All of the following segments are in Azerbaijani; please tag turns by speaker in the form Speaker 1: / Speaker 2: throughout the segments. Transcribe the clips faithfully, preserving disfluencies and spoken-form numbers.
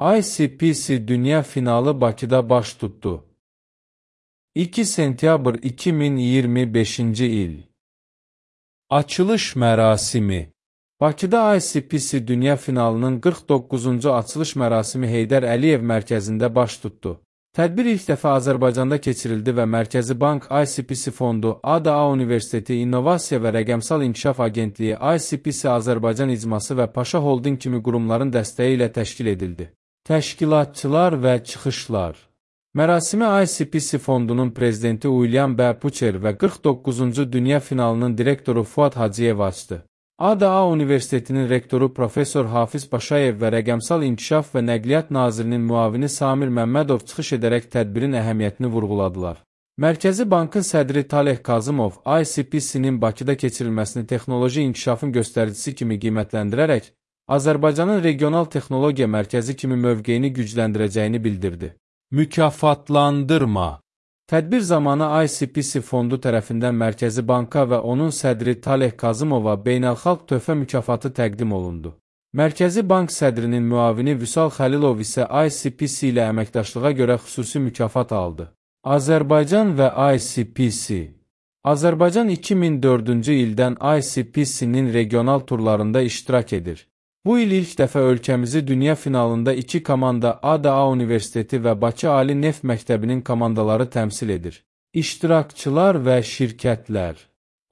Speaker 1: I C P C Dünya Finalı Bakıda baş tutdu. iki sentyabr iki min iyirmi beşinci il. Açılış mərasimi. Bakıda I C P C Dünya Finalının qırx doqquzuncu açılış mərasimi Heydər Əliyev mərkəzində baş tutdu. Tədbir ilk dəfə Azərbaycanda keçirildi və Mərkəzi Bank, I C P C Fondu, A D A Universiteti, İnnovasiya və Rəqəmsal İnkişaf Agentliyi, I C P C Azərbaycan İcması və Paşa Holding kimi qurumların dəstəyi ilə təşkil edildi. Təşkilatçılar və çıxışlar. Mərasimi I C P C Fondunun prezidenti William B. Pucher və qırx doqquzuncu Dünya Finalının direktoru Fuad Hacıyev açdı. A D A Universitetinin rektoru Profesor Hafiz Paşayev və Rəqəmsal İnkişaf və Nəqliyyat Nazirinin müavini Samir Məmmədov çıxış edərək tədbirin əhəmiyyətini vurğuladılar. Mərkəzi Bankın sədri Taleh Kazımov, I C P C-nin Bakıda keçirilməsini texnoloji inkişafın göstəricisi kimi qiymətləndirərək, Azərbaycanın regional texnologiya mərkəzi kimi mövqeyini gücləndirəcəyini bildirdi. Mükafatlandırma. Tədbir zamanı I C P C Fondu tərəfindən Mərkəzi Banka və onun sədri Taleh Kazımova beynəlxalq töhfə mükafatı təqdim olundu. Mərkəzi Bank sədrinin müavini Vüsal Xəlilov isə I C P C ilə əməkdaşlığa görə xüsusi mükafat aldı. Azərbaycan və I C P C. Azərbaycan iki min dördüncü ildən I C P C-nin regional turlarında iştirak edir. Bu il ilk dəfə ölkəmizi dünya finalında iki komanda A D A Universiteti və Bakı Ali Neft Məktəbinin komandaları təmsil edir. İştirakçılar və şirkətlər.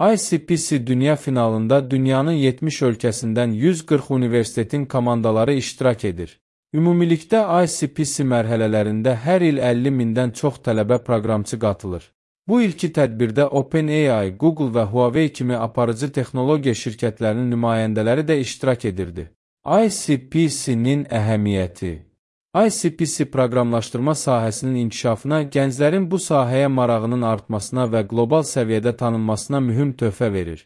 Speaker 1: I C P C dünya finalında dünyanın yetmiş ölkəsindən yüz qırx universitetin komandaları iştirak edir. Ümumilikdə I C P C mərhələlərində hər il əlli mindən çox tələbə proqramçı qatılır. Bu ilki tədbirdə OpenAI, Google və Huawei kimi aparıcı texnologiya şirkətlərinin nümayəndələri də iştirak edirdi. I C P C-nin əhəmiyyəti. I C P C proqramlaşdırma sahəsinin inkişafına, gənclərin bu sahəyə marağının artmasına və qlobal səviyyədə tanınmasına mühüm töhfə verir.